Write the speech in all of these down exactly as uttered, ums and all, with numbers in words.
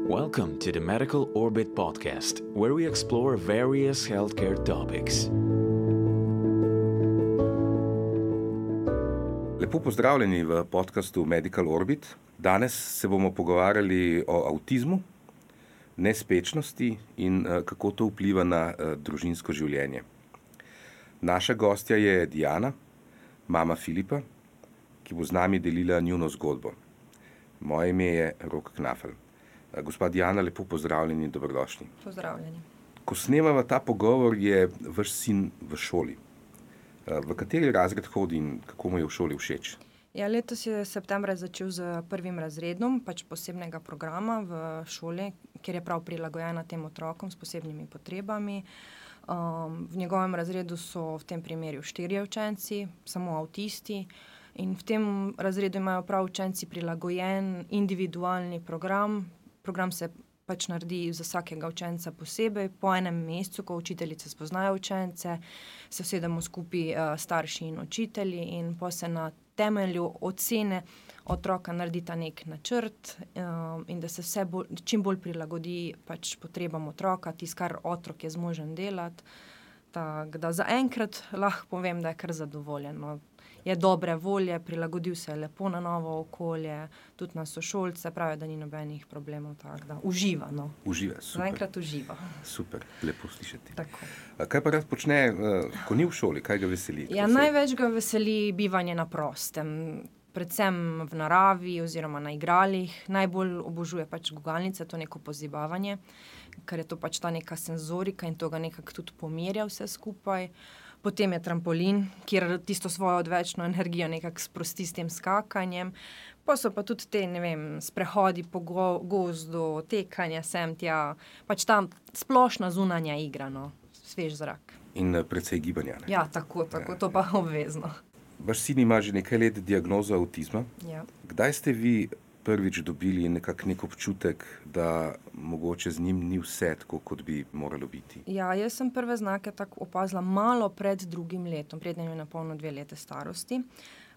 Welcome to the Medical Orbit podcast, where we explore various healthcare topics. Lepo pozdravljeni v podcastu Medical Orbit. Danes se bomo pogovarjali o avtizmu, nespečnosti in kako to vpliva na družinsko življenje. Naša gostja je Diana, mama Filipa, ki bo z nami delila njuno zgodbo. Moje ime je Rok Knafel. Gospa Diana, lepo pozdravljeni in dobrodošli. Pozdravljeni. Ko snemava ta pogovor, je vaš sin v šoli. V kateri razred hodi in kako mu je v šoli všeč? Ja, letos je septembra začel z prvim razredom, pač posebnega programa v šoli, kjer je prav prilagojena tem otrokom s posebnimi potrebami. Um, v njegovem razredu so v tem primeru štirje učenci, samo avtisti. In v tem razredu imajo prav učenci prilagojen individualni program. Program se pač naredi za vsakega učenca posebej. Po enem mesecu, ko učiteljice spoznajo učence, se usedemo skupaj uh, starši in učitelji in po se na temelju ocene otroka naredita nek načrt um, in da se vse bolj, čim bolj prilagodi pač potrebam otroka, tisto, kar otrok je zmožen delati. Tak, da zaenkrat lahko povem, da je kar zadovoljen. No. Je dobre volje, prilagodil se je lepo na novo okolje, tudi na sošolce, pravi, da ni nobenih problemov, tako da uživa. No. Uživa, super. Zaenkrat uživa. Super, lepo slišati. Tako. Kaj pa rad počne, ko ni v šoli, kaj ga veseli? Ja, največ ga veseli bivanje na prostem, predvsem v naravi oziroma na igralih. Najbolj obožuje pač gugalnice, to neko pozibavanje, ker je to pač ta neka senzorika in to ga nekako tudi pomirja vse skupaj. Potem je trampolin, kjer tisto svojo odvečno energijo nekako sprosti s tem skakanjem. Pa so pa tudi te, ne vem, sprehodi po go, gozdu, tekanje sem tja, pač ta splošna zunanja igra, no, svež zrak. In precej gibanja, ne? Ja, tako, tako, to pa obvezno. Vaš sin ima že nekaj let diagnozo avtizma. Ja. Kdaj ste vi prvič dobili nekak nek občutek, da mogoče z njim ni vse tako, kot bi moralo biti? Ja, jaz sem prve znake tako opazila malo pred drugim letom, predtem je napolno dve lete starosti.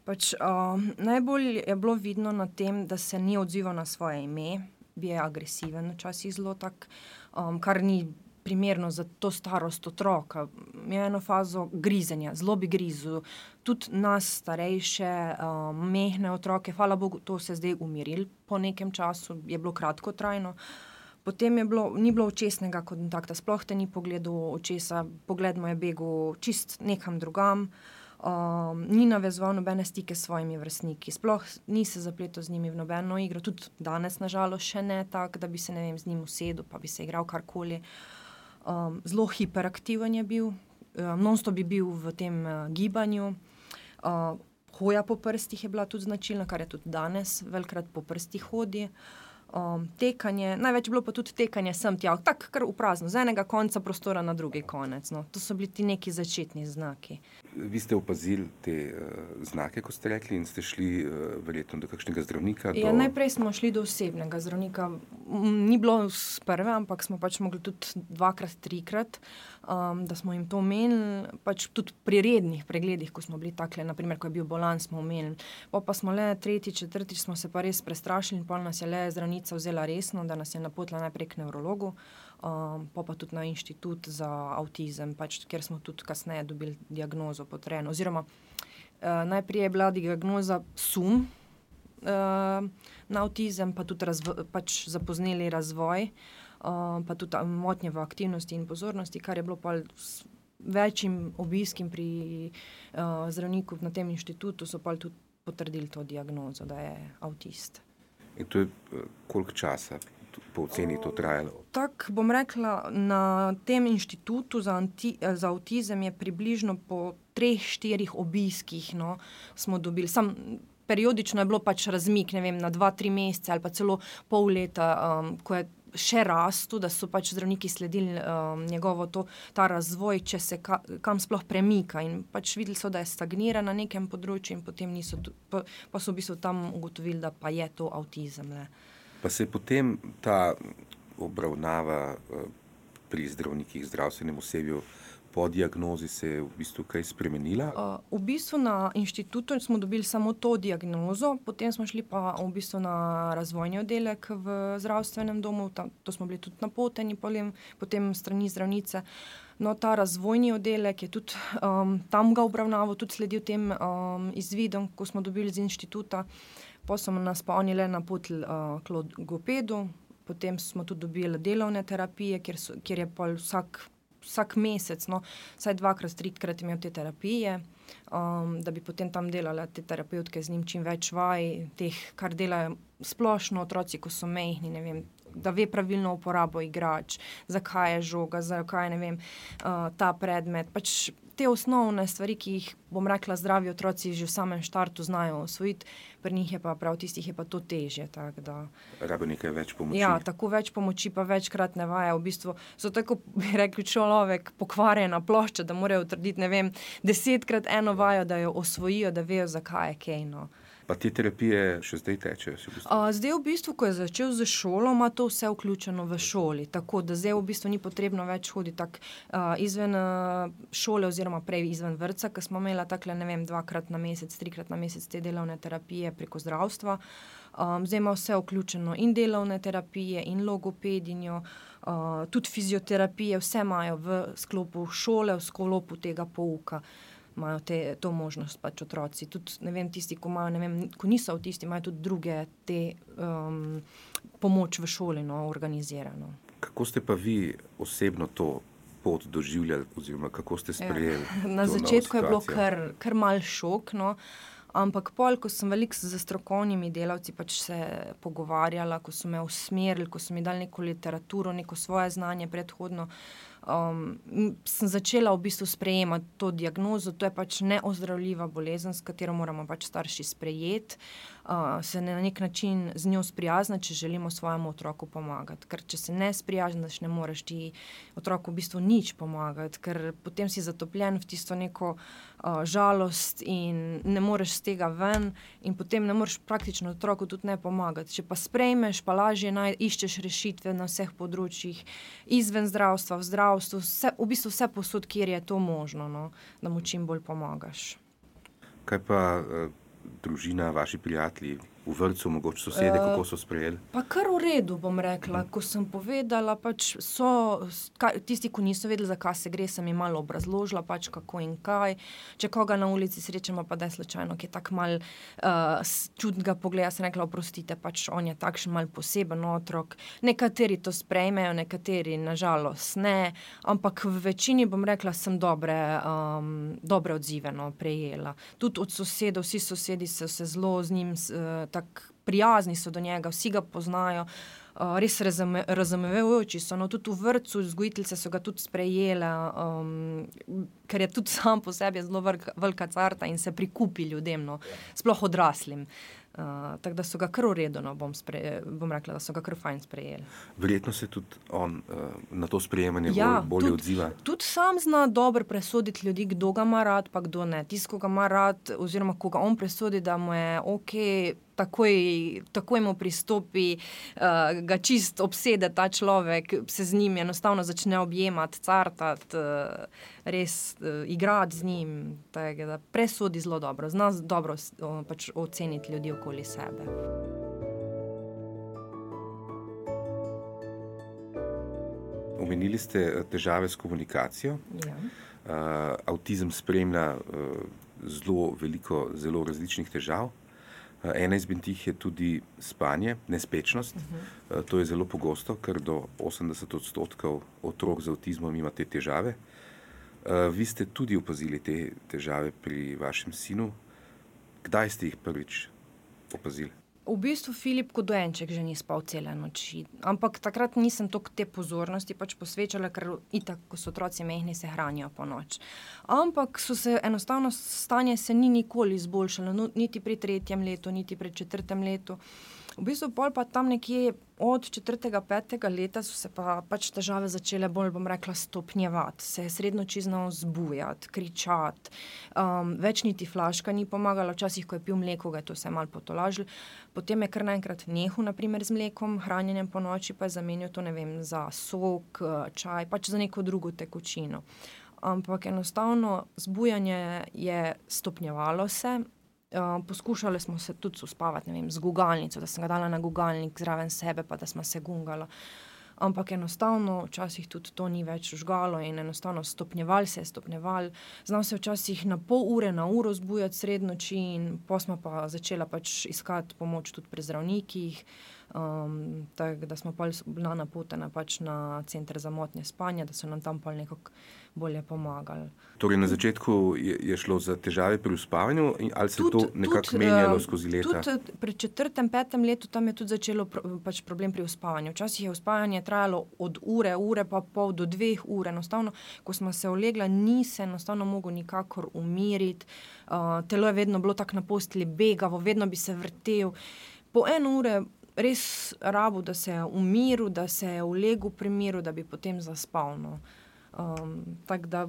Pač, uh, najbolj je bilo vidno na tem, da se ni odzival na svoje ime, bil je agresiven, včasih zelo tak, um, kar ni primerno za to starost otroka. Je eno fazo grizenja, zelo bi grizu. Tudi nas starejše, um, mehne otroke, hvala Bogu, to se zdaj umiril po nekem času, je bilo kratkotrajno. Potem je bilo, ni bilo očesnega kontakta, sploh te ni pogledal očesa, pogled mu je begel čist nekam drugam, um, ni navezoval nobene stike s svojimi vrstniki, sploh ni se zapletel z njimi v nobeno igro, tudi danes nažalost še ne tak, da bi se, ne vem, z njim usedel, pa bi se igral karkoli. Um, zelo hiperaktiven je bil, um, non-stop bi bil v tem uh, gibanju. Uh, hoja po prstih je bila tudi značilna, kar je tudi danes, velikrat po prstih hodi. Um, tekanje, največ bilo pa tudi tekanje sem tja, tako kar v prazno, z enega konca prostora na drugi konec. No. To so bili ti neki začetni znaki. Vi ste opazili te uh, znake, ko ste rekli, in ste šli uh, verjetno do kakšnega zdravnika? Ja, do... najprej smo šli do osebnega zdravnika. Ni bilo z prve, ampak smo pač mogli tudi dvakrat, trikrat, um, da smo jim to omenili. Pač tudi pri rednih pregledih, ko smo bili takle, naprimer, ko je bil bolan, smo omenili. Pa, pa smo le tretjič, četrtič smo se pa res prestrašili in pol nas je le zdravnica vzela resno, da nas je napotila najprej k nevrologu, um, pa pa tudi na inštitut za avtizem, pač, kjer smo tudi kasneje dobili diagnozo potrjeno. Oziroma, uh, najprej je bila diagnoza sum uh, na avtizem, pa tudi razvo- pač zapozneli razvoj, uh, pa tudi motnje v aktivnosti in pozornosti, kar je bilo pa s večjim obiskim pri uh, zdravniku na tem inštitutu, so pa tudi potrdili to diagnozo, da je avtist. In to je koliko časa po oceni to trajalo? Tako bom rekla, na tem inštitutu za, anti, za avtizem je približno po treh, štirih obiskih, no, smo dobili. Sam periodično je bilo pač razmik, ne vem, na dva, tri mesece ali pa celo pol leta, um, ko je še rastu, da so pač zdravniki sledili um, njegovo to, ta razvoj, če se ka, kam sploh premika in pač videli so, da je stagnira na nekem področju in potem niso, pa, pa so v bistvu tam ugotovili, da pa je to avtizem. Le. Pa se je potem ta obravnava uh, pri zdravnikih, zdravstvenem osebju po diagnozi se je v bistvu kaj spremenila? Uh, v bistvu na inštitutu smo dobili samo to diagnozo, potem smo šli pa v bistvu na razvojni oddelek v zdravstvenem domu, tam, to smo bili tudi napoteni, potem, potem strani zdravnice. No, ta razvojni oddelek je tudi um, tam ga obravnaval, tudi sledil tem um, izvidom, ko smo dobili z inštituta. Potem smo nas pa oni le napotili uh, k logopedu, potem smo tudi dobili delovne terapije, kjer, so, kjer je pa vsak vsak mesec, no, vsaj dvakrat, trikrat imel te terapije, um, da bi potem tam delala te terapevtke z njim čim več vaj, teh, kar delajo splošno otroci, ko so mehni, ne vem, da ve pravilno uporabo igrač, zakaj je žoga, zakaj, ne vem, uh, ta predmet, pač te osnovne stvari, ki jih, bom rekla, zdravi otroci že v samem štartu znajo osvojiti, pri njih je pa prav tistih je pa to težje, tako da. Rabo nekaj več pomoči. Ja, tako več pomoči, pa večkrat ne vaja, v bistvu so tako, bi rekli, človek pokvarjena plošča, da morajo utrditi, ne vem, desetkrat eno vajo, da jo osvojijo, da vejo, zakaj je kaj, no. Pa te terapije še zdaj tečejo? V bistvu? Uh, zdaj v bistvu, ko je začel z šolo, ima to vse vključeno v šoli, tako da zdaj v bistvu ni potrebno več hoditi tak uh, izven uh, šole oziroma prej izven vrtca, ker smo imela takle, ne vem, dvakrat na mesec, trikrat na mesec te delovne terapije preko zdravstva. Um, zdaj ima vse vključeno in delovne terapije in logopedinjo, uh, tudi fizioterapije, vse imajo v sklopu šole, v sklopu tega pouka. Imajo te, to možnost pač otroci. Tudi, ne vem, tisti, ko imajo, ne vem, ko niso avtisti, imajo tudi druge te um, pomoč v šoli, no, organizirano. Kako ste pa vi osebno to pot doživljali, oziroma kako ste sprejeli? Ja. Na začetku je bilo kar, kar mal šok, no, ampak pol, ko sem veliko z strokovnimi delavci pač se pogovarjala, ko so me usmerili, ko so mi dali neko literaturo, neko svoje znanje predhodno, Um, sem začela v bistvu sprejemati to diagnozo, to je pač neozdravljiva bolezen, s katero moramo pač starši sprejeti, uh, se na nek način z njo sprijazniti, če želimo svojemu otroku pomagati. Ker če se ne sprijazniš, ne moreš ti otroku v bistvu nič pomagati, ker potem si zatopljen v tisto neko uh, žalost in ne moreš z tega ven in potem ne moreš praktično otroku tudi ne pomagati. Če pa sprejmeš, pa lažje naj, iščeš rešitve na vseh področjih, izven zdravstva, v zdravstvu, Vse, v bistvu vse posod, kjer je to možno, no, da mu čim bolj pomagaš. Kaj pa uh, družina, vaši prijatelji v vrtcu, mogoče sosede, uh, kako so sprejeli? Pa kar v redu, bom rekla. Ko sem povedala, pač so, kaj, tisti, ko niso vedeli, za kaj se gre, sem jim malo obrazložila, pač kako in kaj. Če koga na ulici srečamo, pa da je slučajno, ki je tak mal uh, čudnega pogleda, sem rekla, oprostite, pač on je takšen mal poseben otrok. Nekateri to sprejmejo, nekateri nažalost ne, ampak v večini, bom rekla, sem dobre, um, dobre odzive, no, prejela. Tudi od sosedov, vsi sosedi so se zelo z njim uh, tako prijazni so do njega, vsi ga poznajo, uh, res razume, razumevajoči so, no, tudi v vrtcu vzgojiteljice so ga tudi sprejele, um, ker je tudi sam po sebi zelo velika, velika carta in se prikupi ljudem, no, sploh odraslim. Uh, tako da so ga kar v redu, no, bom, spre, bom rekla, da so ga kar fajn sprejeli. Verjetno se tudi on uh, na to sprejemanje ja, bolj, bolje tudi, odziva. Tudi sam zna dobro presoditi ljudi, kdo ga ima rad, pa kdo ne. Tisto, ko ga ima rad, oziroma ko ga on presodi, da mu je ok, takoj, takoj mu pristopi, uh, ga čist obsede ta človek, se z njim enostavno začne objemati, cartati, uh, res uh, igrati z njim, tako da presodi zelo dobro, zna dobro uh, pač oceniti ljudi okoli sebe. Omenili ste težave s komunikacijo. Ja. Uh, avtizem spremlja uh, zelo veliko, zelo različnih težav. Uh, ena izmed tih je tudi spanje, nespečnost. Uh-huh. Uh, to je zelo pogosto, ker do osemdeset odstotkov otrok z avtizmom ima te težave. Uh, vi ste tudi opazili te težave pri vašem sinu. Kdaj ste jih prvič opazili? V bistvu Filip kot dojenček že ni spal cele noči, ampak takrat nisem toliko te pozornosti pač posvečala, ker itak, ko so otroci mehni, se hranijo po noč. Ampak so se enostavno stanje se ni nikoli izboljšalo, no, niti pri tretjem letu, niti pri četrtem letu. V bistvu pol pa tam nekje od četrtega, petega leta so se pa pač težave začele bolj, bom rekla, stopnjevati, se je srednoči znal zbujati, kričati, um, več niti flaška ni pomagala, včasih, ko je pil mleko, ga je to vse malo potolažilo, potem je kar naenkrat nehal, na primer z mlekom, hranjenjem po noči, pa je zamenjal to, ne vem, za sok, čaj, pač za neko drugo tekočino. ampak enostavno zbujanje je stopnjevalo se. Uh, poskušali smo se tudi uspavati, ne vem, z gugalnico, da sem ga dala na gugalnik zraven sebe, pa da smo se gungala. Ampak enostavno včasih tudi to ni več žgalo in enostavno stopnjeval se je, stopnjeval. Znal se včasih na pol ure, na uro zbujati sred noči in pol smo pa začela pač iskati pomoč tudi pri zdravnikih, um, tako da smo pol bila napotena pač na center za motnje spanja, da so nam tam pol nekako bolje pomagali. Torej na začetku je, je šlo za težave pri uspavanju ali se Tud, to nekako tud, menjalo uh, skozi leta? Tudi pri četrtem, petem letu tam je tudi začelo pro, pač problem pri uspavanju. Včasih je uspavanje trajalo od ure, ure pa pol do dveh ur. Enostavno, ko smo se ulegla, ni se enostavno mogel nikakor umiriti. Uh, telo je vedno bilo tako na postelji begavo, vedno bi se vrtel. Po eno ure res rabu, da se je umiril, da se je ulegel pri miru, da bi potem zaspal. No. Um, tako da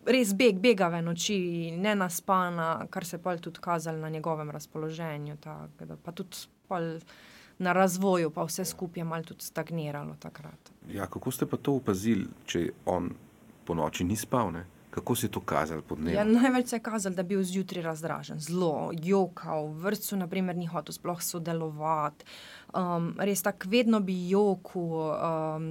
res beg, begave noči, nenaspana, kar se pol tudi kazalo na njegovem razpoloženju, tako da pa tudi pol na razvoju, pa vse skupaj je malo tudi stagniralo takrat. Ja, kako ste pa to opazili, če on po noči ni spal, ne? Kako se je to kazalo po dnevu? Ja, največ se je kazalo, da je bil zjutraj razdražen, zelo jokal, v vrtcu na primer ni hotel sploh sodelovati, um, res tak vedno bi jokal, um,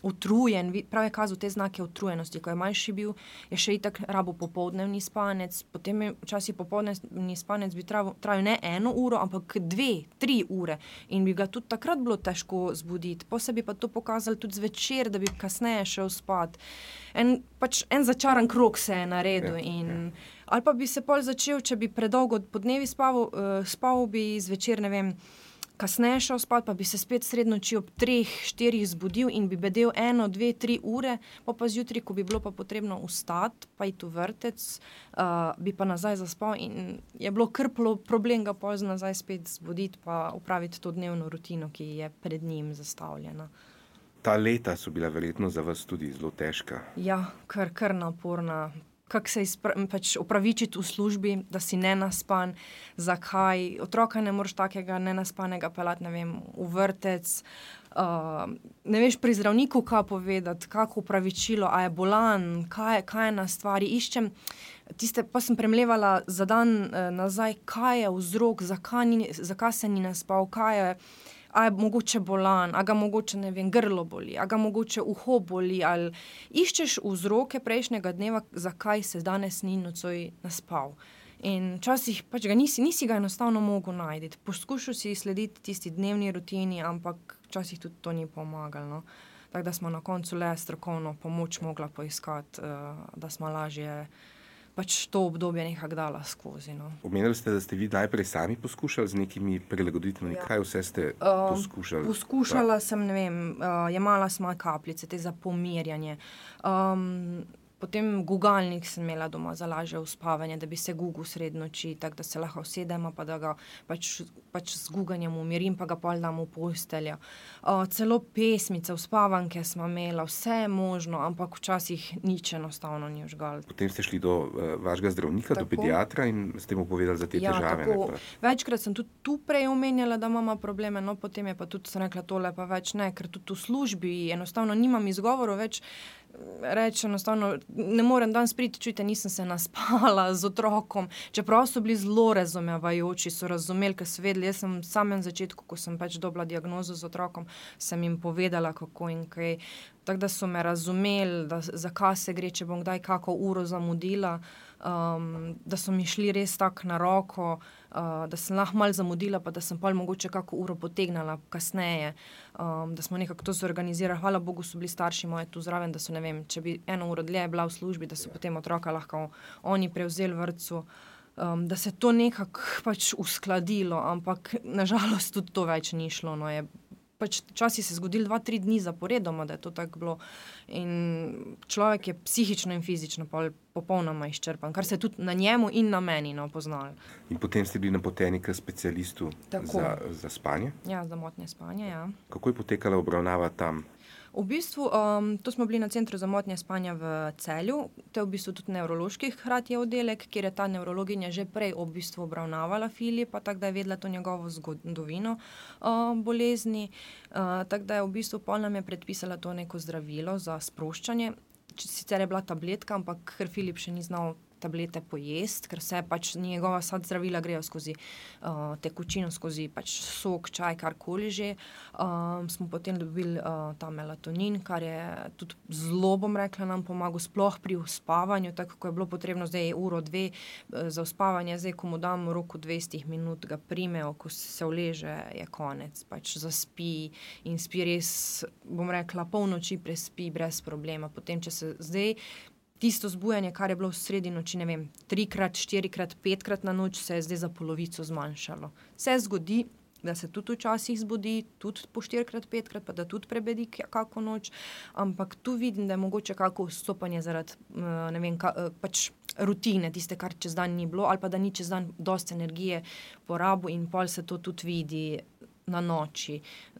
utrujen, prav je kazal te znake utrujenosti, ko je manjši bil, je še itak rabo popoldnevni spanec, potem je včasih popoldnevni spanec bi trajal, trajal ne eno uro, ampak dve, tri ure in bi ga tudi takrat bilo težko zbuditi, posebej pa to pokazalo tudi zvečer, da bi kasneje šel spat. En, pač en začaran krog se je naredil in ali pa bi se pol začel, če bi predolgo po dnevi spaval, uh, spal bi zvečer, ne vem, kasneje šel spat, pa bi se spet sred noči ob treh, štirih zbudil in bi bedel eno, dve, tri ure, pa pa zjutraj, ko bi bilo pa potrebno vstati, pa iti v vrtec, uh, bi pa nazaj zaspal in je bilo kar problem ga pol nazaj spet zbuditi, pa upraviti to dnevno rutino, ki je pred njim zastavljena. Ta leta so bila verjetno za vas tudi zelo težka. Ja, kar, kar naporna. Kako se izpra- pač opravičiti v službi, da si nenaspan, zakaj, otroka ne moreš takega nenaspanega pelati, ne vem, v vrtec, uh, ne veš pri zdravniku kaj povedati, kako opravičilo, a je bolan, kaj, kaj je na stvari, iščem, tiste, pa sem premlevala za dan uh, nazaj, kaj je vzrok, zakaj, ni, zakaj se ni naspal, kaj je, a je mogoče bolan, a ga mogoče, ne vem, grlo boli, a ga mogoče uho boli, ali iščeš vzroke prejšnjega dneva, zakaj se danes ni nocoj naspal. In včasih pač ga nisi, nisi ga enostavno mogel najti. Poskušal si slediti tisti dnevni rutini, ampak včasih tudi to ni pomagalo. No? Tako da smo na koncu le strokovno pomoč mogla poiskati, uh, da smo lažje pač to obdobje nekako dala skozi. No. Omenili ste, da ste vi najprej sami poskušali z nekimi prilagoditvami. Ja. Kaj vse ste uh, poskušali? Poskušala pa sem, ne vem, uh, jemala sem kapljice, te za pomirjanje. Um, Potem gugalnik sem imela doma za lažje uspavanje, da bi se gugel sred noči, tako da se lahko usedemo, pa da ga pač, pač z guganjem umirim, pa ga pol dam v posteljo. Uh, celo pesmice, uspavanke smo imela, vse je možno, ampak včasih nič enostavno ni vžgal. Potem ste šli do uh, vašega zdravnika, tako, do pediatra in ste mu povedali za te ja, težave. Tako, večkrat sem tudi tu prej omenjala, da imamo probleme, no potem je pa tudi sem rekla tole pa več ne, ker tudi v službi enostavno nimam izgovorov več, reči enostavno, ne morem danes priti, čujte, nisem se naspala z otrokom, čeprav so bili zelo razumevajoči, so razumeli, ker so vedeli, jaz sem v samem začetku, ko sem pač dobila diagnozo z otrokom, sem jim povedala, kako in kaj, tako da so me razumeli, da zakaj se gre, če bom kdaj kako uro zamudila, um, da so mi šli res tako na roko, uh, da sem lahko malo zamudila, pa da sem pol mogoče kako uro potegnala kasneje, um, da smo nekako to zorganizirali. Hvala Bogu so bili starši moje tu zraven, da so, ne vem, če bi eno uro dlje bila v službi, da so potem otroka lahko oni prevzeli vrtcu, um, da se to nekako pač uskladilo, ampak nažalost tudi to več ni šlo, no je pač časi se zgodili dva, tri dni zaporedoma, da je to tako bilo in človek je psihično in fizično popolnoma izčrpan, kar se tudi na njemu in na meni no, poznali. In potem ste bili napoteni k specialistu za, za spanje? Ja, za motnje spanja, ja. Kako je potekala obravnava tam? V bistvu, um, to smo bili na centru za motnje spanja v Celju, to je v bistvu tudi nevrološki hkrati oddelek, kjer je ta nevrologinja že prej v bistvu obravnavala Filipa, tako da je vedela to njegovo zgodovino uh, bolezni, uh, tako da je v bistvu pol nam je predpisala to neko zdravilo za sproščanje, sicer je bila tabletka, ampak ker Filip še ni znal tablete pojesti, ker se pač njegova sad zdravila grejo skozi uh, tekočino, skozi pač sok, čaj, karkoli že. Um, smo potem dobili uh, ta melatonin, kar je tudi zelo, bom rekla, nam pomagal sploh pri uspavanju, tako ko je bilo potrebno zdaj uro, dve uh, za uspavanje, zdaj ko mu dam v roku dvajset minut, ga primejo, ko se uleže, je konec, pač zaspi in spi res, bom rekla, polnoči prespi brez problema. Potem, če se zdaj tisto zbujanje, kar je bilo v sredi noči, ne vem, trikrat, štirikrat, petkrat na noč, se je zdaj za polovico zmanjšalo. Se zgodi, da se tudi včasih zbudi, tudi po štirikrat, petkrat, pa da tudi prebedi kako noč, ampak tu vidim, da je mogoče kako vstopanje zaradi, ne vem, ka, pač rutine, tiste, kar čez dan ni bilo, ali pa da ni čez dan dosti energije porabil in pol se to tudi vidi na noči,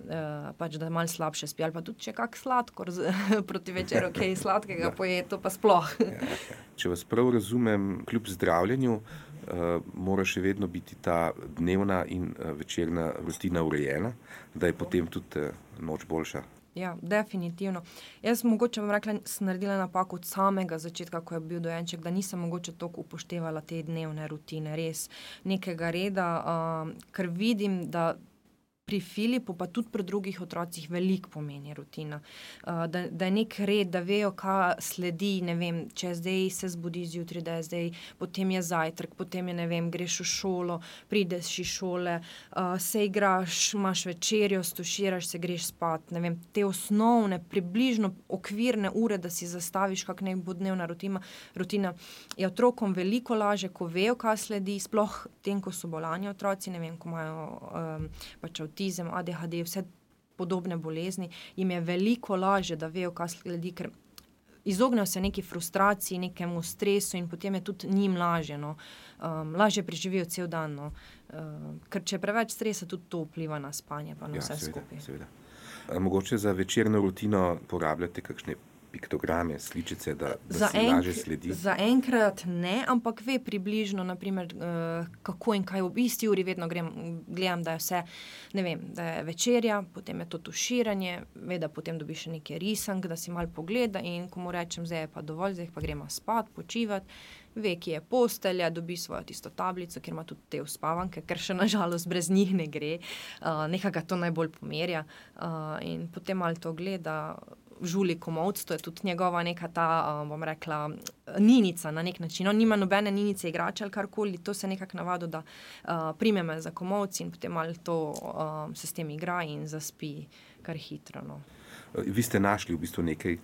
uh, pač da malo slabše spi, ali pa tudi če kak sladkor z, proti večeru, kaj okay, sladkega poje, to pa sploh. Ja, ja. Če vas prav razumem, kljub zdravljenju, uh, mora še vedno biti ta dnevna in uh, večerna rutina urejena, da je potem tudi uh, noč boljša. Ja, definitivno. Jaz mogoče bom rekla, sem naredila napako od samega začetka, ko je bil dojenček, da nisem mogoče toliko upoštevala te dnevne rutine, res nekega reda, uh, ker vidim, da pri Filipu, pa tudi pri drugih otrocih veliko pomeni rutina. Uh, da, da je nek red, da vejo, kaj sledi, ne vem, če zdaj se zbudi zjutraj, da je zdaj, potem je zajtrk, potem je, ne vem, greš v šolo, prideš iz šole, uh, se igraš, imaš večerjo, stuširaš se, greš spat, ne vem, te osnovne, približno okvirne ure, da si zastaviš, kak nek bo dnevna rutina, rutina je otrokom veliko laže, ko vejo, kaj sledi, sploh tem, ko so bolani otroci, ne vem, ko imajo um, pač avtizem, A D H D, vse podobne bolezni, jim je veliko lažje, da vejo, kaj sledi, ker izognejo se neki frustraciji, nekemu stresu in potem je tudi njim lažje, no. Um, lažje preživijo cel dan, no. Um, ker če je preveč stresa, tudi to vpliva na spanje, pa na ja, vse seveda, skupaj. Seveda. A mogoče za večerno rutino porabljate kakšne piktograme, sličice, da, da za se enk, lažje sledi? Za enkrat ne, ampak ve približno, naprimer, uh, kako in kaj v isti uri vedno grem, gledam, da je vse, ne vem, da je večerja, potem je to tuširanje, ve, da potem dobi še nekaj risank, da si malo pogleda in ko mu rečem, zdaj je pa dovolj, zdaj pa gremo spat, počivati, ve, ki je postelja, dobi svojo tisto tablico, kjer ima tudi te uspavanke, ker še nažalost brez njih ne gre, uh, nekaj to najbolj pomerja uh, in potem malo to gleda, žuli komolc, to je tudi njegova neka ta, um, bom rekla, ninica na nek način. On nima nobene ninice igrače ali karkoli, to se nekako navado, da uh, prime me za komolc in potem malo to um, se s tem igra in zaspi kar hitro, no. Vi ste našli v bistvu nekaj,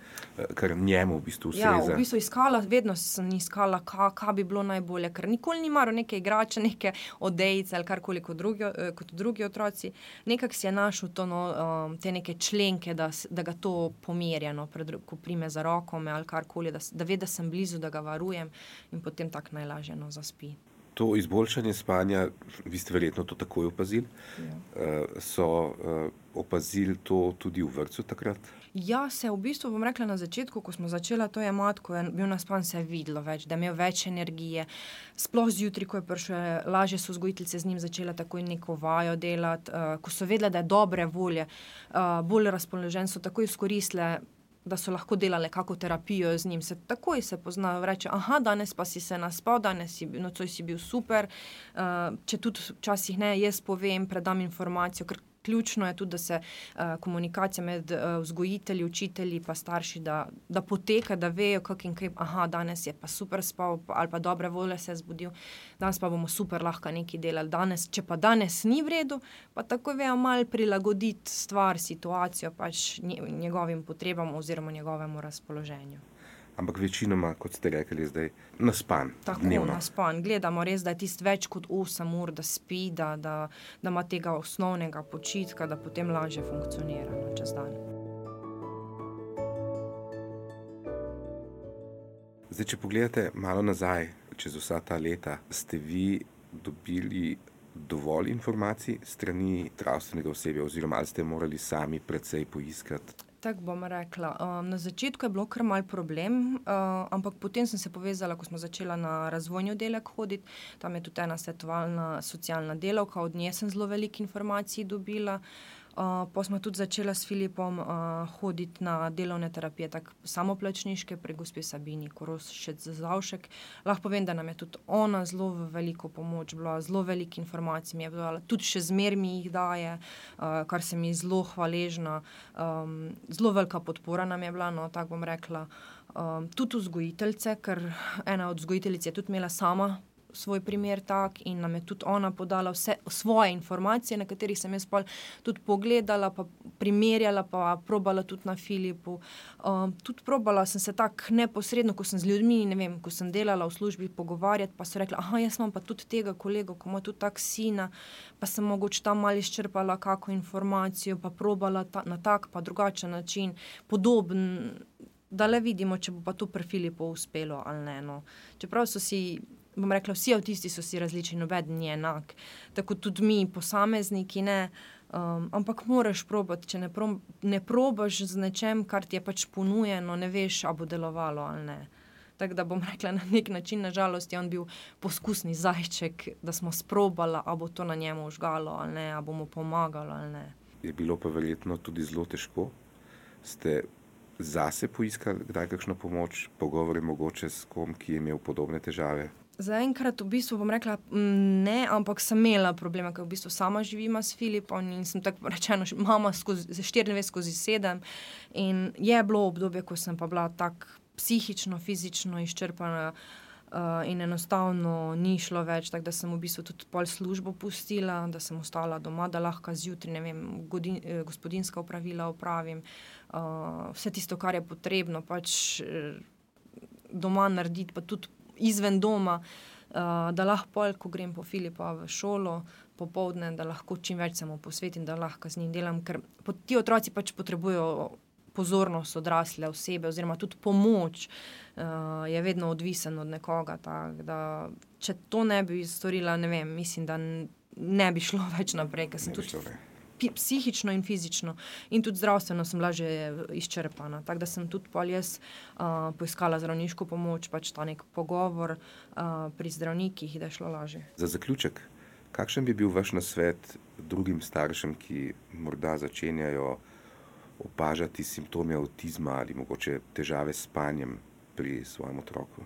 kar njemu v bistvu ustreza. Ja, v bistvu iskala, vedno sem iskala, kaj ka bi bilo najbolje, ker nikoli ni maro neke igrače, neke odejice ali karkoli kot drugi, kot drugi otroci. Nekako si je našel to, no, um, te neke členke, da, da ga to pomerja, no, pred, ko prime za roko me ali karkoli, da, da ve, da sem blizu, da ga varujem in potem tak najlažje, no, zaspi. To izboljšanje spanja, vi ste verjetno to takoj opazili, Ja. uh, so uh, opazili to tudi v vrtcu takrat? Ja, se v bistvu, bom rekla, na začetku, ko smo začela to jemati, ko je bil naspan, se je videlo več, da je imel več energije. Sploh zjutraj, ko je prišel, lažje so vzgojiteljice z njim začela takoj neko vajo delati, uh, ko so vedele, da je dobre volje, uh, bolj razpoložen, so takoj izkoristile, da so lahko delale kako terapijo z njim, se takoj se poznajo, reče, aha, danes pa si se naspal, danes si, nocoj si bil super, uh, če tudi včasih ne, jaz povem, predam informacijo, ker ključno je tudi, da se uh, komunikacija med uh, vzgojitelji, učitelji pa starši, da, da poteka, da vejo, kak in kaj, aha, danes je pa super spal, pa, ali pa dobre volje se je zbudil, danes pa bomo super lahko nekaj delali, danes, če pa danes ni v redu, pa tako vejo malo prilagoditi stvar, situacijo pač njegovim potrebam oziroma njegovemu razpoloženju. Ampak večinoma, kot ste rekli, zdaj naspan, Tako, dnevno. naspan. Gledamo res, da je tist več kot osem ur, da spi, da, da, da ima tega osnovnega počitka, da potem lažje funkcionira no, čez dan. Zdaj, če pogledate malo nazaj, čez vsa ta leta, ste vi dobili dovolj informacij strani zdravstvenega osebja oziroma ali ste morali sami precej poiskati? Tako bom rekla. Um, na začetku je bilo kar mal problem, uh, ampak potem sem se povezala, ko smo začela na razvojni oddelek hoditi, tam je tudi ena svetovalna socialna delavka, od nje sem zelo veliko informacij dobila. Uh, pa smo tudi začela s Filipom uh, hoditi na delovne terapije, tako samoplačniške pri gospe Sabini Korošec-Zavšek. Lahko povem, da nam je tudi ona zelo veliko pomoč bila, zelo veliko informacij mi je bila, tudi še zmer mi jih daje, uh, kar se mi zelo hvaležna. Um, zelo velika podpora nam je bila, no, tako bom rekla. Um, tudi vzgojiteljice, ker ena od vzgojiteljic je tudi imela sama svoj primer tak in nam je tudi ona podala vse svoje informacije, na katerih sem jaz pol tudi pogledala, pa primerjala, pa probala tudi na Filipu. Um, tudi probala sem se tako neposredno, ko sem z ljudmi, ne vem, ko sem delala v službi, pogovarjati, pa so rekla, aha, jaz imam pa tudi tega kolega, ko ima tudi tak sina, pa sem mogoče tam malo izčrpala kako informacijo, pa probala ta, na tak pa drugačen način, podoben, da le vidimo, če bo pa to pri Filipu uspelo ali ne. No. Čeprav so si, bom rekla, vsi avtisti so si različni, nobeden ni enak. Tako tudi mi, posamezniki, ne. Um, ampak moraš probati, če ne, pro, ne probaš z nečem, kar ti je pač ponujeno, ne veš, a bo delovalo ali ne. Tako da bom rekla, na nek način, na žalost, je on bil poskusni zajček, da smo sprobala, a bo to na njemu užgalo ali ne, a bo mu pomagalo ali ne. Je bilo pa verjetno tudi zelo težko. Ste zase poiskali kdaj kakšno pomoč, pogovore mogoče s kom, ki je imel podobne težave? Zaenkrat v bistvu bom rekla ne, ampak sem imela probleme, ker v bistvu sama živim s Filipom in sem tako rečeno mama skozi štiriindvajset skozi sedem in je bilo obdobje, ko sem pa bila tako psihično, fizično izčrpana uh, in enostavno ni šlo več, tako da sem v bistvu tudi pol službo pustila, da sem ostala doma, da lahko zjutraj, ne vem, godin, gospodinjska opravila opravim, uh, vse tisto, kar je potrebno, pač uh, doma narediti, pa tudi izven doma, uh, da lahko pol, ko grem po Filipa v šolo, popoldne, da lahko čim več se mu posvetim, da lahko z njim delam, ker ti otroci pač potrebujejo pozornost odrasle osebe oziroma tudi pomoč, uh, je vedno odvisen od nekoga, tako da če to ne bi storila, ne vem, mislim, da ne bi šlo več naprej, ker sem tudi psihično in fizično in tudi zdravstveno sem bila že izčrpana, tako da sem tudi pol jaz uh, poiskala zdravniško pomoč, pač ta nek pogovor uh, pri zdravnikih, da je šlo lažje. Za zaključek, kakšen bi bil vaš nasvet drugim staršem, ki morda začenjajo opažati simptome avtizma ali mogoče težave s spanjem pri svojem otroku?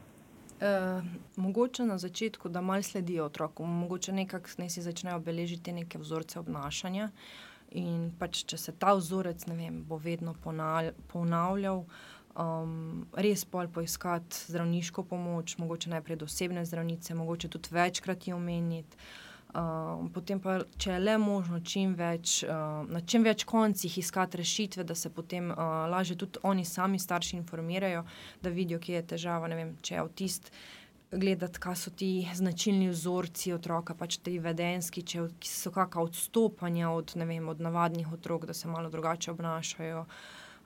Uh, mogoče na začetku, da malo sledijo otroku, mogoče nekako ne si začnejo beležiti neke vzorce obnašanja in pač, če se ta vzorec, ne vem, bo vedno ponavljal, um, res pol poiskati zdravniško pomoč, mogoče najprej do osebne zdravnice, mogoče tudi večkrat jo omeniti, uh, potem pa, če je le možno čim več, uh, na čim več koncih iskati rešitve, da se potem uh, lažje tudi oni sami starši informirajo, da vidijo, kje je težava, ne vem, če je avtist, gledati, kaj so ti značilni vzorci otroka, pač ti vedenski, če so kakšna odstopanja od, ne vem, od navadnih otrok, da se malo drugače obnašajo.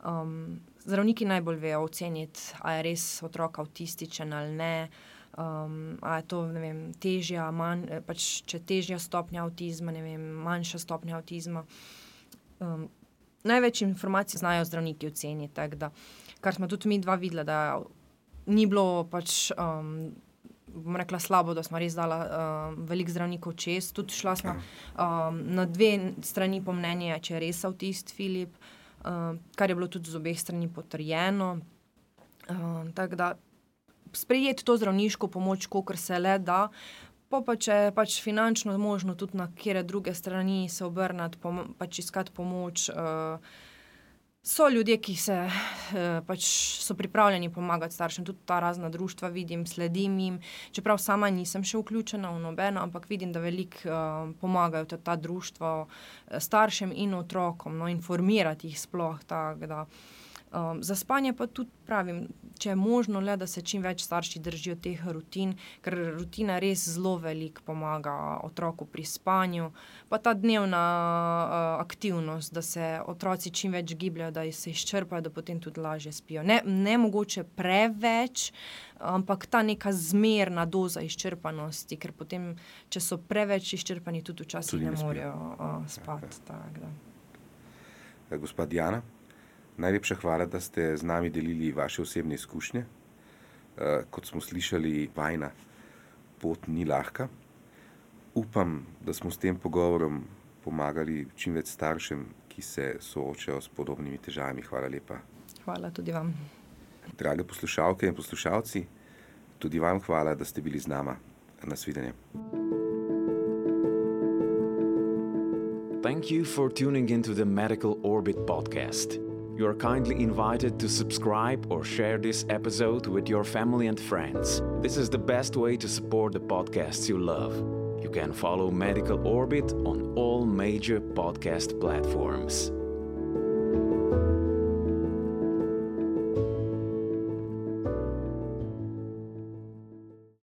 Um, zdravniki najbolj vejo oceniti, a je res otrok avtističen ali ne, um, a je to, ne vem, težja, manj, pač če težja stopnja avtizma, ne vem, manjša stopnja avtizma. Um, največ informacij znajo zdravniki oceniti, tako da, kar smo tudi mi dva videla, da ni bilo pač, um, bom rekla slabo, da smo res dala um, veliko zdravnikov čez, tudi šla smo um, na dve strani po mnenje, če je res avtist Filip, um, kar je bilo tudi z obeh strani potrjeno. Um, tako da sprejeti to zdravniško pomoč, kolikor se le da, pa pa če je pač finančno možno tudi na kjere druge strani se obrnati, pom- pač iskati pomoč. Uh, so ljudje, ki se uh, pač so pripravljeni pomagati staršem, tudi ta razna društva vidim, sledim jim, čeprav sama nisem še vključena v nobeno, ampak vidim, da veliko uh, pomagajo ta, ta društva staršem in otrokom, no, informirati jih sploh, tako da. Um, za spanje pa tudi pravim, če je možno le, da se čim več starši držijo teh rutin, ker rutina res zelo veliko pomaga otroku pri spanju, pa ta dnevna uh, aktivnost, da se otroci čim več gibljajo, da se izčrpajo, da potem tudi lažje spijo. Ne, ne mogoče preveč, ampak ta neka zmerna doza izčrpanosti, ker potem, če so preveč izčrpani, tudi včasih Tudi ne ne spijo. morejo uh, spati. Tak, da. Eh, Gospa Diana, najlepša hvala, da ste z nami delili vaše osebne izkušnje. Uh, kot smo slišali, vajna pot ni lahka. Upam, da smo s tem pogovorom pomagali čim več staršem, ki ki se soočajo s podobnimi težavami. Hvala lepa. Hvala tudi vam. Drage poslušalke in poslušalci, tudi vam hvala, da ste bili z nama. Nasvidenje. Thank you for tuning into the Medical Orbit podcast. You are kindly invited to subscribe or share this episode with your family and friends. This is the best way to support the podcasts you love. You can follow Medical Orbit on all major podcast platforms.